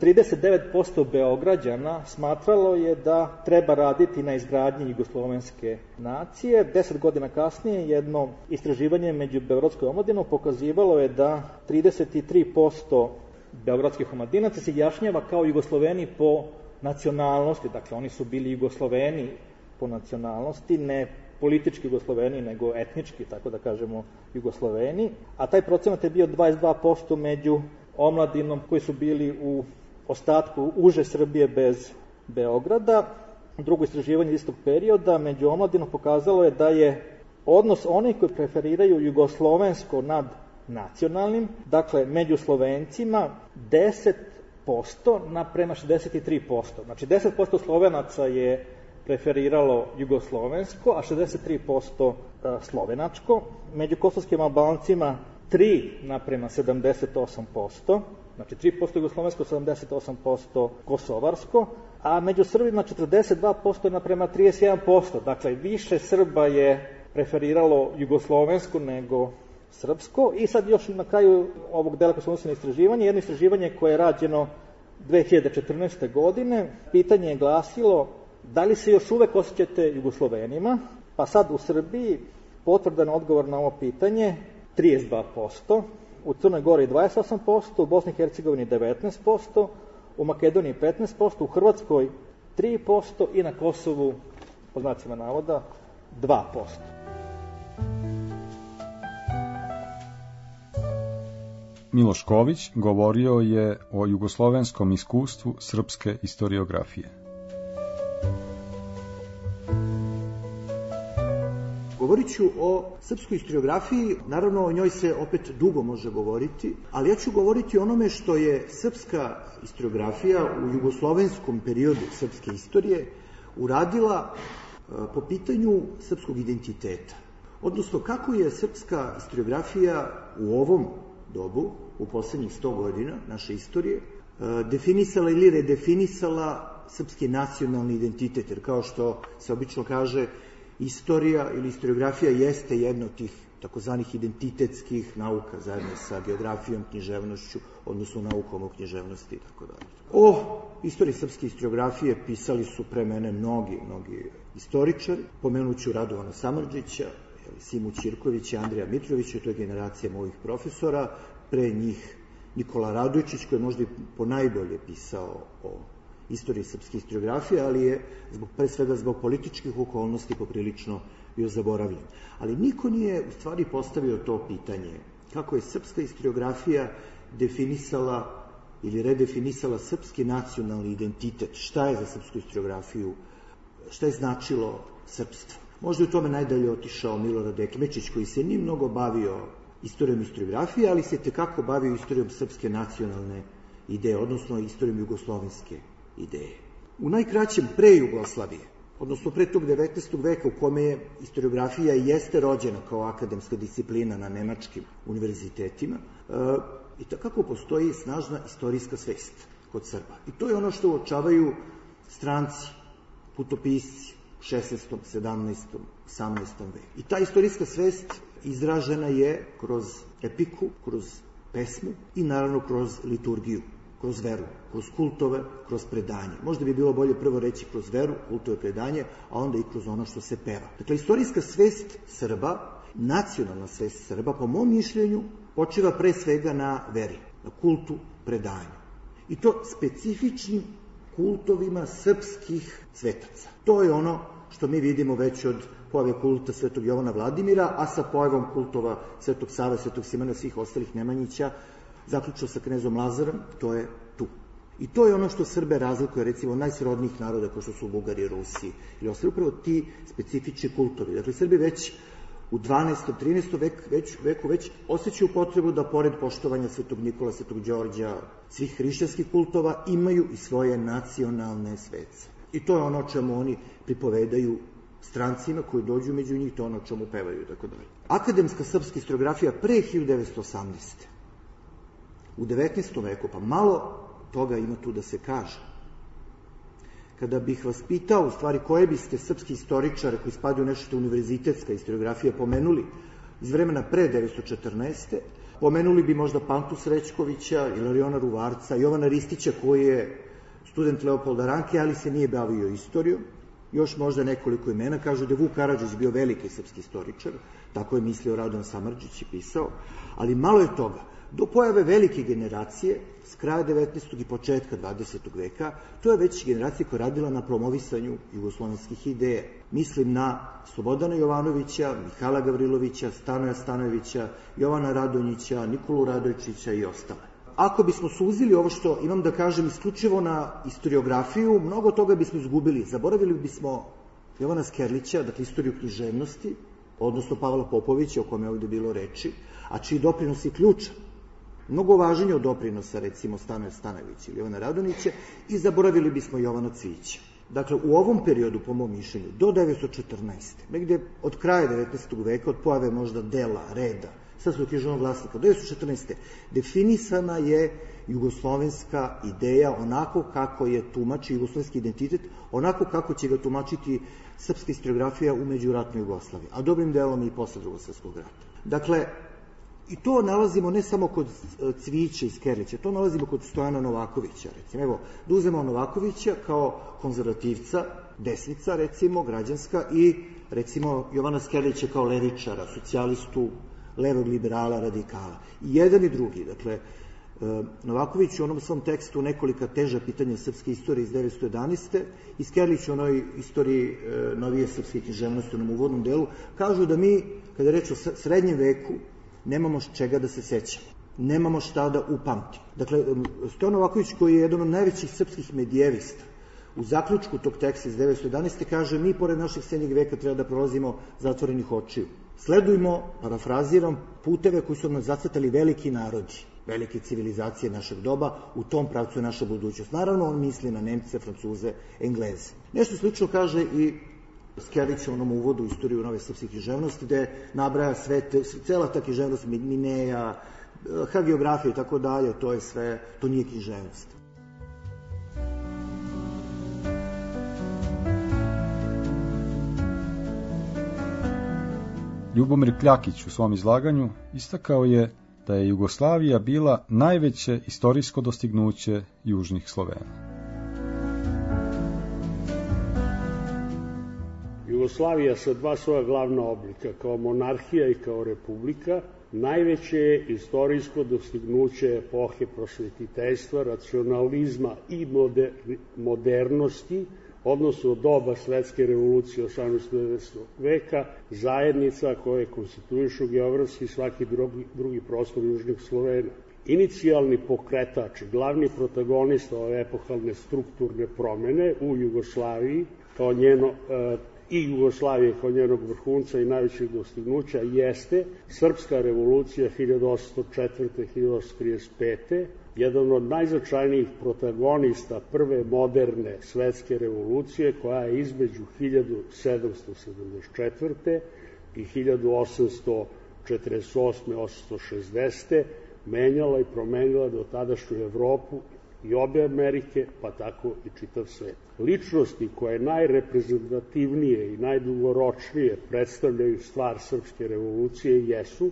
G: trideset devet posto Beograđana smatralo je da treba raditi na izgradnji jugoslovenske nacije. Deset godina kasnije jedno istraživanje među beogradskoj omladinom pokazivalo je da trideset tri posto beogradskih omladinaca se jašnjava kao Jugosloveni po nacionalnosti. Dakle, oni su bili Jugosloveni po nacionalnosti, ne politički Jugosloveni, nego etnički, tako da kažemo, Jugosloveni, a taj procenat je bio dvadeset dva posto među omladinom koji su bili u ostatku uže Srbije bez Beograda. Drugo istraživanje istog perioda među omladinom pokazalo je da je odnos onih koji preferiraju jugoslovensko nad nacionalnim, dakle među Slovencima deset posto naprema šezdeset tri posto. Znači deset posto Slovenaca je preferiralo jugoslovensko, a šezdeset tri posto slovenačko. Među kosovskim Albancima tri naprema sedamdeset osam posto, znači tri posto jugoslovensko, sedamdeset osam posto kosovarsko, a među Srbima četrdeset dva posto naprema trideset jedan posto. Dakle, više Srba je preferiralo jugoslovensko nego srpsko. I sad još na kraju ovog dela koji smo odnosili na istraživanje, jedno istraživanje koje je rađeno dve hiljade četrnaeste. godine, pitanje je glasilo da li se još uvek osjećate Jugoslovenima, pa sad u Srbiji potvrdan odgovor na ovo pitanje trideset dva posto, u Crnoj Gori dvadeset osam posto, u Bosni i Hercegovini devetnaest posto, u Makedoniji petnaest posto, u Hrvatskoj tri posto i na Kosovu, po znacima navoda, dva posto.
D: Miloš Ković govorio je o jugoslovenskom iskustvu srpske historiografije.
H: Govorit ću o srpskoj historiografiji, naravno o njoj se opet dugo može govoriti, ali ja ću govoriti o onome što je srpska historiografija u jugoslovenskom periodu srpske istorije uradila po pitanju srpskog identiteta. Odnosno, kako je srpska historiografija u ovom dobu, u poslednjih sto godina naše istorije, definisala ili redefinisala srpski nacionalni identitet, jer kao što se obično kaže, istorija ili historiografija jeste jedna od tih takozvanih identitetskih nauka zajedno sa geografijom, književnošću, odnosno naukom o književnosti i tako dalje. O istoriji srpske historiografije pisali su pre mene mnogi, mnogi istoričari. Pomenuću Radovana Samardžića, Simu Ćirkovića, Andrija Mitrovića, to je generacija mojih profesora, pre njih Nikola Radojčić, koji je možda i ponajbolje pisao o istoriji srpske historiografije, ali je zbog, pre svega zbog političkih okolnosti poprilično bio zaboravljen. Ali niko nije u stvari postavio to pitanje kako je srpska historiografija definisala ili redefinisala srpski nacionalni identitet, šta je za srpsku historiografiju, šta je značilo srpstvo. Možda je u tome najdalje otišao Milorad Ekmečić, koji se nije mnogo bavio istorijom historiografije, ali se tekako bavio istorijom srpske nacionalne ideje, odnosno istorijom jugoslovenske ideje. U najkraćem pre Jugoslavije, odnosno pre tog devetnaestog veka u kome je historiografija jeste rođena kao akademska disciplina na nemačkim univerzitetima, i takako postoji snažna istorijska svest kod Srba. I to je ono što uočavaju stranci, putopisci u šesnaestom, sedamnaestom, osamnaestom veku. I ta istorijska svest izražena je kroz epiku, kroz pesmu i naravno kroz liturgiju, kroz veru, kroz kultove, kroz predanje. Možda bi bilo bolje prvo reći kroz veru, kultove, predanje, a onda i kroz ono što se peva. Dakle, istorijska svest Srba, nacionalna svest Srba, po mom mišljenju, počiva pre svega na veri, na kultu, predanju. I to specifičnim kultovima srpskih svetaca. To je ono što mi vidimo već od pojave kulta Svetog Jovana Vladimira, a sa pojavom kultova Svetog Save, Svetog Simona i svih ostalih Nemanjića, zaključno sa knezom Lazarom, to je tu. I to je ono što Srbe razlikuje, recimo, najsrodnijih naroda, kao što su Bugari, Rusi, ili ostali upravo ti specifični kultovi. Dakle, Srbi već u dvanaestom, trinaestom veku već, veku već osjećaju potrebu da, pored poštovanja Svetog Nikola, Svetog Đorđa, svih hrišćanskih kultova, imaju i svoje nacionalne svece. I to je ono o čemu oni pripovedaju strancima koji dođu među njih, to je ono o čemu pevaju i tako dalje. Akademska srpska historiografija pre hiljadu devetsto osamnaeste. U devetnaestom veku, pa malo toga ima tu da se kaže, Kada bih vas pitao, u stvari, koje biste srpski istoričare koji spadaju u nešto univerzitetska historiografija pomenuli iz vremena pre devetsto četrnaeste. Pomenuli bi možda Pantu Srećkovića, Ilariona Ruvarca, Jovana Ristića koji je student Leopolda Ranke, ali se nije bavio istorijom. Još možda nekoliko imena. Kažu da je Vuk Karadžić bio veliki srpski istoričar, tako je mislio Radovan Samardžić i pisao, ali malo je toga. Do pojave velike generacije, s kraja devetnaestog i početka dvadesetog veka, to je već generacija koja je radila na promovisanju jugoslovenskih ideja. Mislim na Slobodana Jovanovića, Mihajla Gavrilovića, Stanoja Stanojevića, Jovana Radonjića, Nikolu Radojčića i ostale. Ako bismo suzili ovo što imam da kažem isključivo na historiografiju, mnogo toga bismo izgubili. Zaboravili bismo Jovana Skerlića, dakle istoriju književnosti, odnosno Pavla Popovića, o kome je ovde bilo reči, a čiji doprinos je ključan. Mnogo važnije od doprinosa, recimo, Stanoja Stanojevića ili Jovana Radonjića, i zaboravili bismo Jovana Cvijića. Dakle, u ovom periodu, po mom mišljenju, do devetsto četrnaeste. negde od kraja devetnaestog veka, od pojave možda dela, reda, Srpskog književnog glasnika, do devetsto četrnaeste. definisana je jugoslovenska ideja onako kako je tumači jugoslovenski identitet, onako kako će ga tumačiti srpska historiografija u međuratnoj Jugoslaviji, a dobrim delom i posle Drugog svjetskog rata. Dakle, i to nalazimo ne samo kod Cvijića i Skerlića, to nalazimo kod Stojana Novakovića, recimo. Evo, da uzmemo Novakovića kao konzervativca, desnica, recimo, građanska, i, recimo, Jovana Skerlića kao levičara, socijalistu, levog liberala, radikala. I jedan i drugi, dakle, Novaković u onom svom tekstu Nekolika teža pitanja srpske istorije iz devetsto jedanaeste i Skerlić u onoj istoriji novije srpske književnosti u onom uvodnom delu, kažu da mi, kada je reč o srednjem veku, nemamo čega da se sećamo, nemamo šta da upamtimo. Dakle, Stojan Novaković, koji je jedan od najvećih srpskih medijevista, u zaključku tog teksta iz devetsto jedanaeste kaže: mi pored našeg srednjeg veka treba da prolazimo zatvorenih očiju. Sledujmo, parafraziram, puteve koji su nam zacrtali veliki narodi, velike civilizacije našeg doba, u tom pravcu je naša budućnost. Naravno, on misli na Nemce, Francuze, Engleze. Nešto slično kaže i Skerlić u onom uvodu u istoriju nove srpske književnosti, gde nabraja sve, cela ta književnost, Mineja, hagiografija i tako dalje, to je sve, to nije književnost.
D: Ljubomir Kljakić u svom izlaganju istakao je da je Jugoslavija bila najveće istorijsko dostignuće južnih Slovena.
E: Jugoslavija sa dva svoja glavna oblika, kao monarhija i kao republika, najveće je istorijsko dostignuće epohe prosvetiteljstva, racionalizma i moder, modernosti, odnosno doba svetske revolucije osamnaestog devetnaestog veka, zajednica koje konstituišu geografski svaki drugi, drugi prostor južnih Slovena. Inicijalni pokretač, glavni protagonista ove epohalne strukturne promene u Jugoslaviji, kao njeno, e, i Jugoslavije kao njenog vrhunca i najvećeg dostignuća, jeste Srpska revolucija hiljadu osamsto četvrte do hiljadu osamsto trideset pete. Jedan od najznačajnijih protagonista prve moderne svetske revolucije, koja je između hiljadu sedamsto sedamdeset četvrte i hiljadu osamsto četrdeset osme do osamsto šezdesete menjala i promenila do tadašnju Evropu i obe Amerike, pa tako i čitav svet. Ličnosti koje najreprezentativnije i najdugoročnije predstavljaju stvar srpske revolucije jesu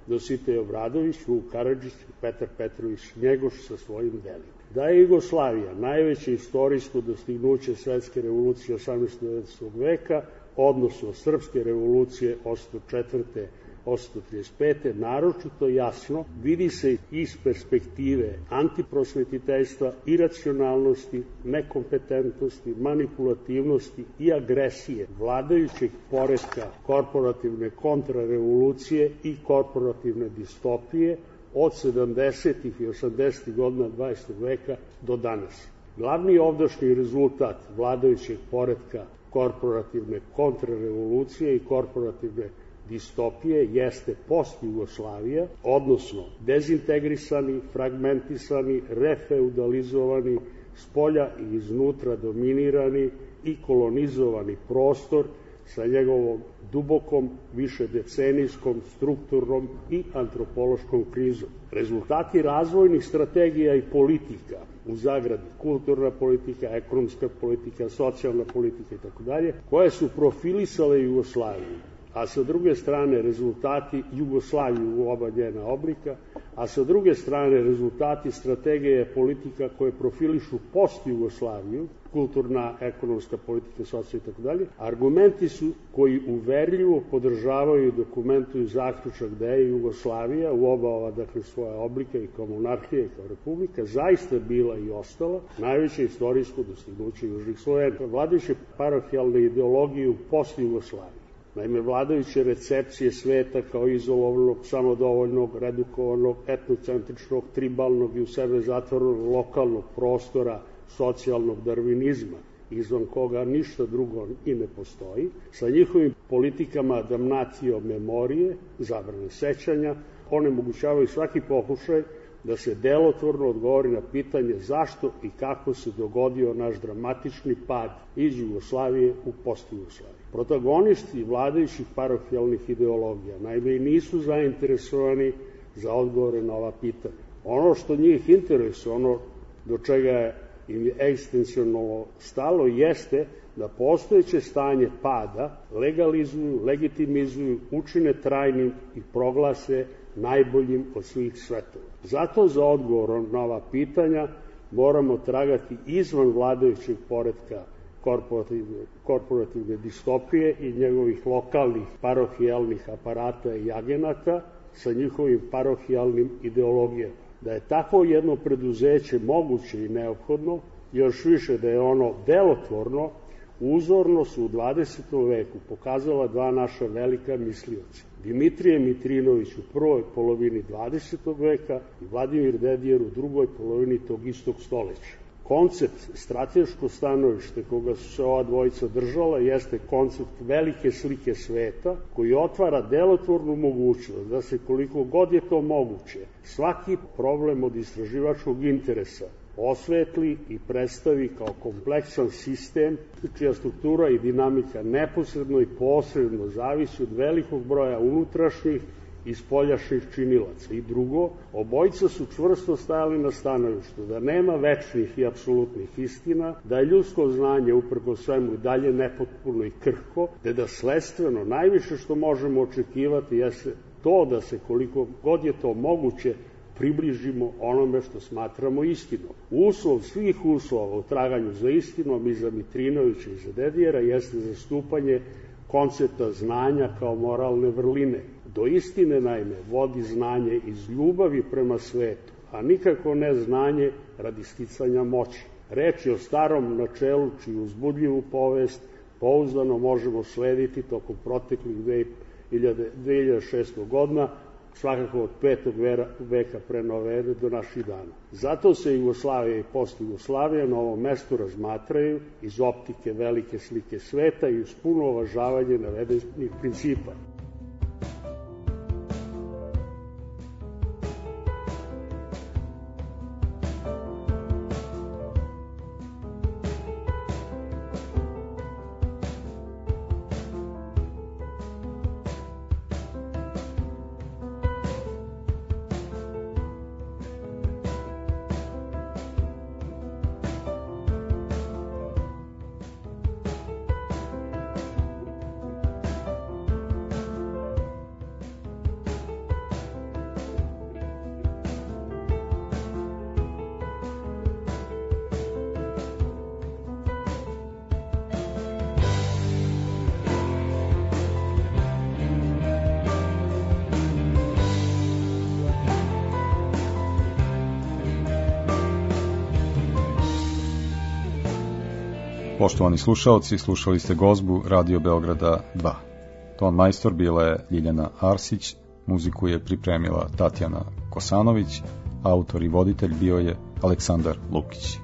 E: Dositej Obradović, Vuk Karadžić i Petar Petrović Njegoš sa svojim delima. Da je Jugoslavija najveće istorijsko dostignuće svetske revolucije osamnaestog devetnaestog veka, odnosno srpske revolucije osamsto četvrte do osamsto trideset pete, naročito jasno vidi se iz perspektive antiprosvetiteljstva, iracionalnosti, nekompetentnosti, manipulativnosti i agresije vladajućeg poretka korporativne kontrarevolucije i korporativne distopije od sedamdesetih i osamdesetih godina dvadesetog veka do danas. Glavni ovdašnji rezultat vladajućeg poretka korporativne kontrarevolucije i korporativne distopije jeste post-Jugoslavija, odnosno dezintegrisani, fragmentisani, refeudalizovani, spolja i iznutra dominirani i kolonizovani prostor
I: sa njegovom dubokom, višedecenijskom, strukturnom i antropološkom krizom. Rezultati razvojnih strategija i politika, u zagradi kulturna politika, ekonomska politika, socijalna politika itd., koje su profilisale Jugoslaviju, a sa druge strane rezultati Jugoslaviju u oba njena oblika, a sa druge strane rezultati strategije politika koje profilišu post-Jugoslaviju, kulturna, ekonomska politika, socijalna itd., argumenti su koji uverljivo podržavaju i dokumentuju zaključak da je Jugoslavija u oba ova, dakle, svoja oblika i kao monarhija i kao republika zaista bila i ostala najveće istorijsko dostignuće južnih Slovena. Vladajuće parohijalne ideologije u post-Jugoslaviji, naime, vladajuće recepcije sveta kao izolovanog, samodovoljnog, redukovanog, etnocentričnog, tribalnog i u sebe zatvorenog lokalnog prostora, socijalnog darvinizma, izvan koga ništa drugo i ne postoji, sa njihovim politikama damnatio memorije, zabrane sećanja, onemogućavaju svaki pokušaj da se delotvorno odgovori na pitanje zašto i kako se dogodio naš dramatični pad iz Jugoslavije u post-Jugoslaviju. Protagonisti vladajućih parohijalnih ideologija naime i nisu zainteresovani za odgovore na ova pitanja. Ono što njih interesuje, ono do čega im je egzistencionalno stalo, jeste da postojeće stanje pada legalizuju, legitimizuju, učine trajnim i proglase najboljim od svih svetova. Zato za odgovor na ova pitanja moramo tragati izvan vladajućeg poretka korporativne, korporativne distopije i njegovih lokalnih parohijalnih aparata i agenata sa njihovim parohijalnim ideologijama. Da je tako jedno preduzeće moguće i neophodno, još više da je ono delotvorno, uzorno su u dvadesetom veku pokazala dva naša velika mislioca. Dimitrije Mitrinović u prvoj polovini dvadesetog veka i Vladimir Dedijer u drugoj polovini tog istog stoleća. Koncept, strateško stanovište koga su se ova dvojica držala jeste koncept velike slike sveta koji otvara delotvornu mogućnost da se koliko god je to moguće svaki problem od istraživačkog interesa osvetli i predstavi kao kompleksan sistem čija struktura i dinamika neposredno i posredno zavisi od velikog broja unutrašnjih i spoljašnjih činilaca. I drugo, obojica su čvrsto stajali na stanovištu da nema večnih i apsolutnih istina, da je ljudsko znanje uprko svemu i dalje nepotpuno i krhko, te da sledstveno najviše što možemo očekivati jeste to da se koliko god je to moguće približimo onome što smatramo istinom. Uslov svih uslova u traganju za istinom i za Mitrinovića i za Dedijera jeste zastupanje koncepta znanja kao moralne vrline. Do istine, naime, vodi znanje iz ljubavi prema svetu, a nikako ne znanje radi sticanja moći. Reč je o starom načelu čiju uzbudljivu povest pouzdano možemo slediti tokom proteklih dve hiljade šeststo godina, svakako od petog veka pre nove ere do naših dana. Zato se Jugoslavija i post-Jugoslavija na ovom mestu razmatraju iz optike velike slike sveta i uz puno uvažavanje navedenih principa.
D: Poštovani slušaoci, slušali ste gozbu Radio Beograda dva. Ton majstor bila je Ljiljana Arsić, muziku je pripremila Tatjana Kosanović, autor i voditelj bio je Aleksandar Lukić.